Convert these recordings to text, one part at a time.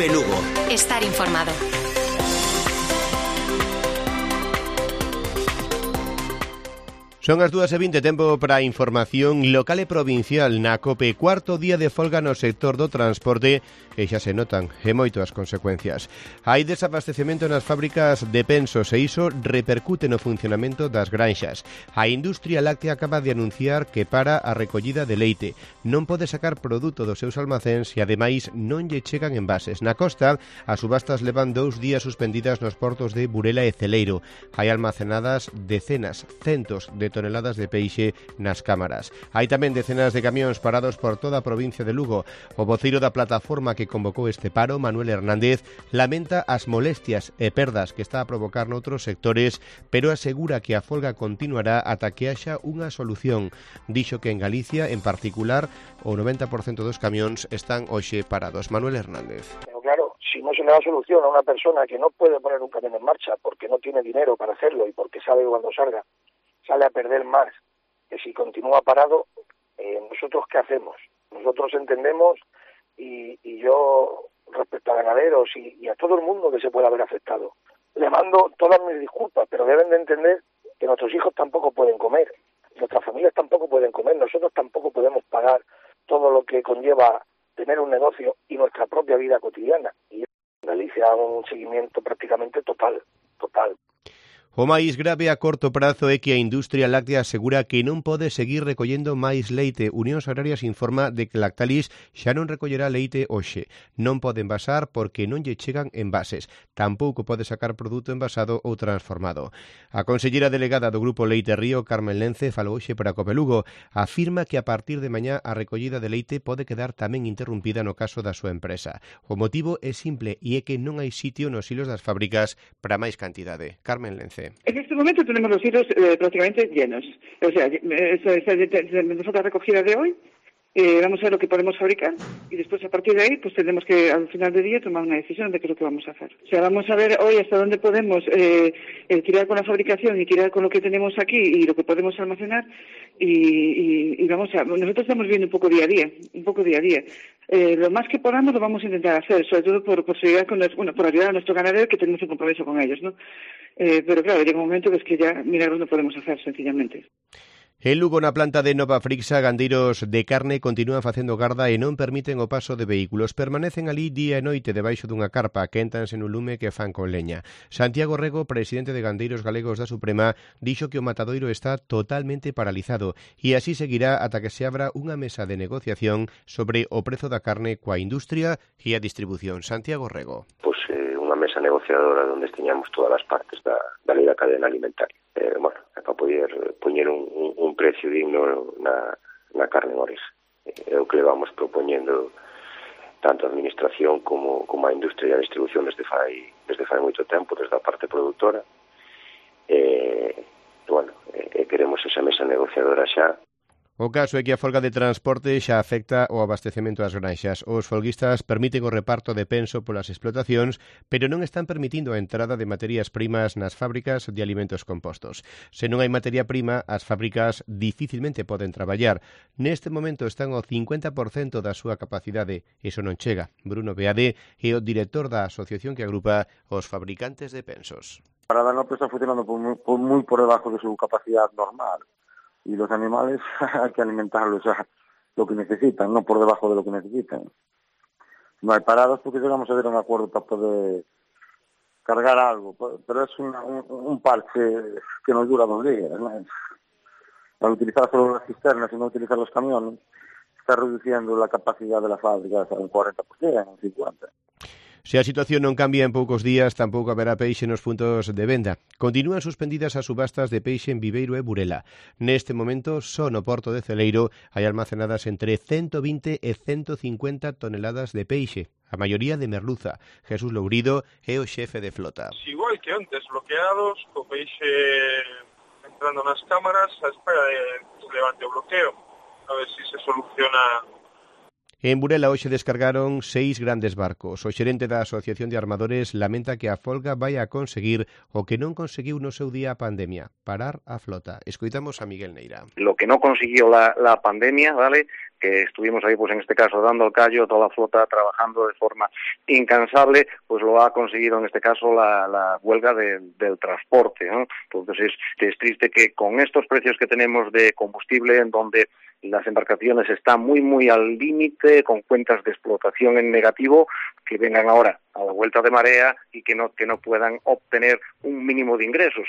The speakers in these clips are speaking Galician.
COPE Lugo. Estar informado. Son as 2:20, tempo para a información local e provincial na COPE. Cuarto día de folga no sector do transporte e xa se notan e moito as consecuencias. Hai desabastecemento nas fábricas de pensos e iso repercute no funcionamento das granxas. A industria láctea acaba de anunciar que para a recollida de leite. Non pode sacar produto dos seus almacéns e ademais non lle chegan envases. Na costa, as subastas levan 2 días suspendidas nos portos de Burela e Celeiro. Hai almacenadas decenas, centos de toneladas de peixe nas cámaras. Hai tamén decenas de camións parados por toda a provincia de Lugo. O voceiro da plataforma que convocou este paro, Manuel Hernández, lamenta as molestias e perdas que está a provocar noutros sectores, pero asegura que a folga continuará ata que haxa unha solución. Dixo que en Galicia, en particular, o 90% dos camións están hoxe parados. Manuel Hernández. Pero claro, si no se le da solución a una persona que no puede poner un camión en marcha porque no tiene dinero para hacerlo y porque sabe que cuando salga sale a perder más que si continúa parado, ¿nosotros qué hacemos? Nosotros entendemos y yo, respecto a ganaderos y a todo el mundo que se pueda haber afectado, le mando todas mis disculpas, pero deben de entender que nuestros hijos tampoco pueden comer, nuestras familias tampoco pueden comer, nosotros tampoco podemos pagar todo lo que conlleva tener un negocio y nuestra propia vida cotidiana. Y en Galicia un seguimiento prácticamente total. O máis grave a corto prazo é que a industria láctea asegura que non pode seguir recollendo máis leite. Unións Agrarias informa de que Lactalis xa non recollerá leite hoxe. Non pode envasar porque non lle chegan envases. Tampouco pode sacar produto envasado ou transformado. A conselleira delegada do Grupo Leite Río, Carmen Lence, falou hoxe para COPE Lugo. Afirma que a partir de mañá a recollida de leite pode quedar tamén interrumpida no caso da súa empresa. O motivo é simple e é que non hai sitio nos hilos das fábricas para máis cantidade. Carmen Lence. En este momento tenemos los hilos prácticamente llenos. O sea, tenemos la recogida de hoy, vamos a ver lo que podemos fabricar y después a partir de ahí pues tendremos que al final del día tomar una decisión de qué es lo que vamos a hacer. O sea, vamos a ver hoy hasta dónde podemos tirar con la fabricación y tirar con lo que tenemos aquí y lo que podemos almacenar y vamos a... Nosotros estamos viendo un poco día a día. Lo más que podamos lo vamos a intentar hacer, sobre todo por seguridad por ayudar a nuestro ganadero, que tenemos un compromiso con ellos, ¿no? Pero claro, llega un momento que es que ya milagros no podemos hacer, sencillamente. En Lugo, na planta de Nova Frixa, gandeiros de carne continúan facendo garda e non permiten o paso de vehículos. Permanecen ali día e noite debaixo dunha carpa, quéntanse no lume que fan con leña. Santiago Rego, presidente de Gandeiros Galegos da Suprema, dixo que o matadoiro está totalmente paralizado e así seguirá ata que se abra unha mesa de negociación sobre o prezo da carne coa industria e a distribución. Santiago Rego. Unha mesa negociadora onde teñamos todas as partes da lei da cadena alimentaria. Para poder poñer un precio digno na carne en orixe. É o que le vamos propoñendo tanto a administración como a industria e a distribución desde fai moito tempo, desde a parte produtora. Queremos esa mesa negociadora xa. O caso é que a folga de transporte xa afecta o abastecemento das granxas. Os folguistas permiten o reparto de penso polas explotacións, pero non están permitindo a entrada de materias primas nas fábricas de alimentos compostos. Se non hai materia prima, as fábricas dificilmente poden traballar. Neste momento están ao 50% da súa capacidade. Iso non chega. Bruno Beade é o director da asociación que agrupa os fabricantes de pensos. Para Danone está funcionando muy por debajo de su capacidad normal. Y los animales hay que alimentarlos a lo que necesitan, no por debajo de lo que necesitan. No hay paradas porque llegamos a ver un acuerdo para poder cargar algo, pero es un parche que nos dura 2 días, ¿no? Al utilizar solo las cisternas y no utilizar los camiones, está reduciendo la capacidad de la fábrica a un 40%, un 50%. Se a situación non cambia en poucos días, tampouco haberá peixe nos puntos de venda. Continúan suspendidas as subastas de peixe en Viveiro e Burela. Neste momento, só no porto de Celeiro hai almacenadas entre 120 e 150 toneladas de peixe, a maioría de merluza. Jesús Lourido é o xefe de flota. Igual que antes, bloqueados, co peixe entrando nas cámaras, a espera de que se levante o bloqueo, a ver si se soluciona. En Burela hoxe descargaron 6 grandes barcos. O xerente da Asociación de Armadores lamenta que a folga vai a conseguir o que non conseguiu no seu día a pandemia, parar a flota. Escoitamos a Miguel Neira. Lo que no consiguió la pandemia, ¿vale?, que estuvimos ahí, pues en este caso, dando el callo, toda la flota trabajando de forma incansable, pues lo ha conseguido en este caso la huelga del transporte, ¿no? Entonces es triste que con estos precios que tenemos de combustible, en donde las embarcaciones están muy al límite, con cuentas de explotación en negativo, que vengan ahora a la vuelta de marea y que no puedan obtener un mínimo de ingresos.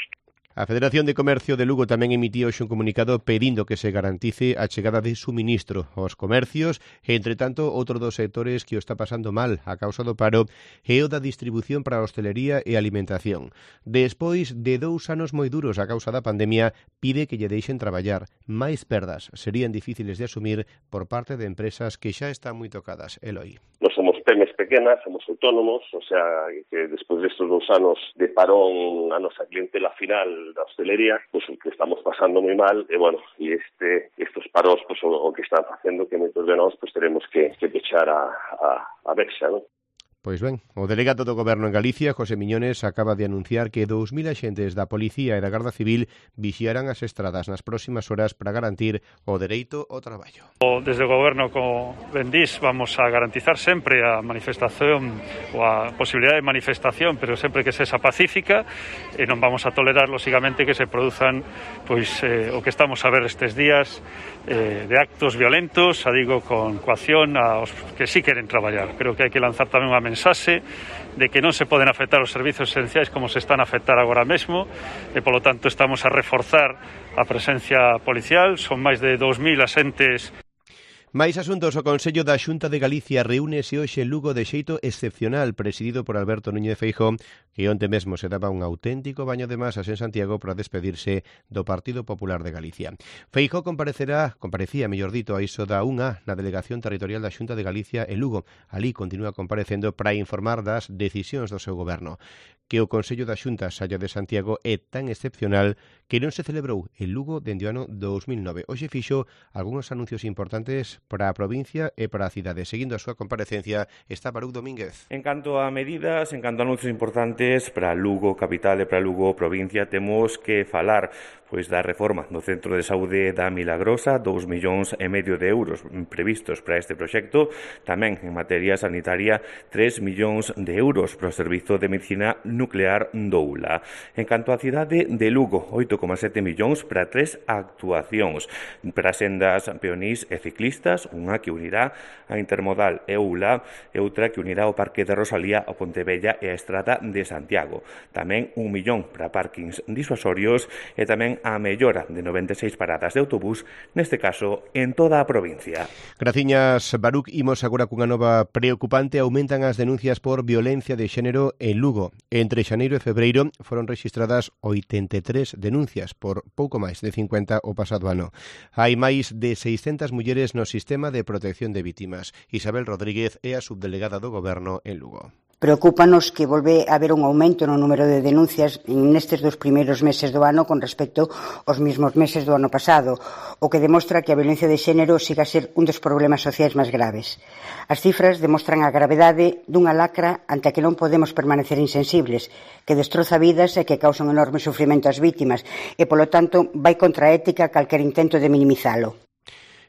A Federación de Comercio de Lugo tamén emitiu hoxe un comunicado pedindo que se garantice a chegada de suministro aos comercios. Entre tanto, outro dos sectores que o está pasando mal a causa do paro é o da distribución para a hostelería e alimentación. Despois de 2 anos moi duros a causa da pandemia, pide que lle deixen traballar. Máis perdas serían difíciles de asumir por parte de empresas que xa están moi tocadas. Eloi. Non somos pymes pequenas, somos autónomos, o sea, que despois destes 2 anos de parón a nosa clientela final da hostelería, pues que estamos pasando moi mal, e bueno, e estos paros pues o que están facendo que moitos de nós pues teremos que pechar a Bexa, ¿no? Pois ben, o delegado do Goberno en Galicia, José Miñones, acaba de anunciar que 2.000 axentes da Policía e da Garda Civil vixiarán as estradas nas próximas horas para garantir o dereito ao traballo. Desde o Goberno, como ben dís, vamos a garantizar sempre a manifestación ou a posibilidade de manifestación, pero sempre que sexa pacífica, e non vamos a tolerar, lógicamente, que se produzan pois o que estamos a ver estes días de actos violentos, digo, con coacción aos que sí queren traballar. Creo que hai que lanzar tamén unha mensaxe de que non se poden afectar os servizos esenciais como se están a afectar agora mesmo, e polo tanto estamos a reforzar a presencia policial. Son máis de 2.000 axentes. Mais asuntos, o Consello da Xunta de Galicia reúnese hoxe en Lugo de xeito excepcional, presidido por Alberto Núñez Feijóo, que onte mesmo se daba un auténtico baño de masas en Santiago para despedirse do Partido Popular de Galicia. Feijóo comparecía, mellor dito, a iso da 1 na Delegación Territorial da Xunta de Galicia en Lugo. Alí continúa comparecendo para informar das decisións do seu goberno. Que o Consello da Xunta saia de Santiago é tan excepcional que non se celebrou en Lugo dende o ano 2009. Hoxe fixo algúns anuncios importantes para a provincia e para a cidade. Seguindo a súa comparecencia está Baruch Domínguez. En canto a medidas, en canto a anuncios importantes para Lugo capital e para Lugo provincia, temos que falar pois da reforma do Centro de Saúde da Milagrosa, 2,5 millóns de euros previstos para este proxecto. Tamén en materia sanitaria, 3 millóns de euros para o Servizo de Medicina Nuclear do ULA. En canto á cidade de Lugo, 8,7 millóns para 3 actuacións para sendas peonís e ciclistas, unha que unirá a Intermodal e ULA e outra que unirá o Parque de Rosalía, o Pontevella e a Estrada de Santiago. Tamén 1 millón para parkings disuasorios e tamén a mellora de 96 paradas de autobús, neste caso en toda a provincia. Graciñas, Baruch. Imos agora cunha nova preocupante. Aumentan as denuncias por violencia de xénero en Lugo. Entre xaneiro e febreiro foron rexistradas 83 denuncias, por pouco máis de 50 o pasado ano. Hai máis de 600 mulleres no sistema de protección de vítimas. Isabel Rodríguez é a subdelegada do Goberno en Lugo. Preocúpanos que volve a haber un aumento no número de denuncias nestes 2 primeiros meses do ano con respecto aos mesmos meses do ano pasado, o que demostra que a violencia de xénero siga a ser un dos problemas sociais máis graves. As cifras demostran a gravedade dunha lacra ante a que non podemos permanecer insensibles, que destroza vidas e que causa un enorme sufrimento ás vítimas e, polo tanto, vai contra a ética calquer intento de minimizalo.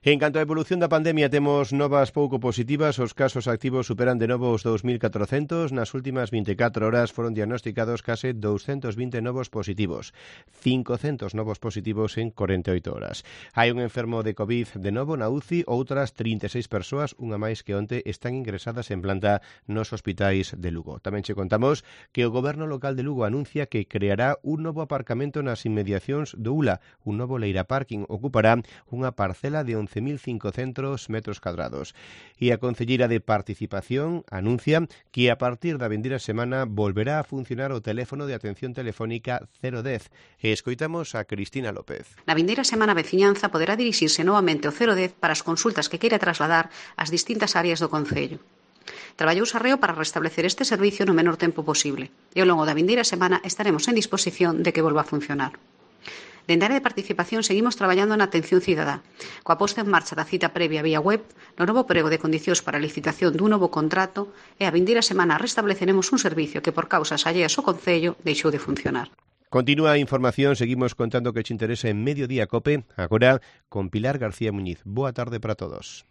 En canto á evolución da pandemia, temos novas pouco positivas. Os casos activos superan de novo os 2.400. Nas últimas 24 horas foron diagnosticados case 220 novos positivos. 500 novos positivos en 48 horas. Hai un enfermo de COVID de novo na UCI. Outras 36 persoas, unha máis que onte, están ingresadas en planta nos hospitais de Lugo. Tamén che contamos que o Goberno local de Lugo anuncia que creará un novo aparcamento nas inmediacións do ULA. Un novo Leira Parking ocupará unha parcela de 11.500 metros cuadrados. E a concelleira de Participación anuncia que a partir da vindeira semana volverá a funcionar o teléfono de atención telefónica 010. E escoitamos a Cristina López. Na vindeira semana a veciñanza poderá dirixirse novamente ao 010 para as consultas que queira trasladar ás distintas áreas do concello. Traballouse arreo para restablecer este servicio no menor tempo posible e ao longo da vindeira semana estaremos en disposición de que volva a funcionar. Dende a área de participación seguimos traballando na atención cidadá, coa posta en marcha da cita previa vía web, no novo prego de condicións para a licitación dun novo contrato e a vindeira semana restableceremos un servicio que por causas alleas ao Concello deixou de funcionar. Continúa a información, seguimos contando que te interesa en Mediodía Cope, agora con Pilar García Muñiz. Boa tarde para todos.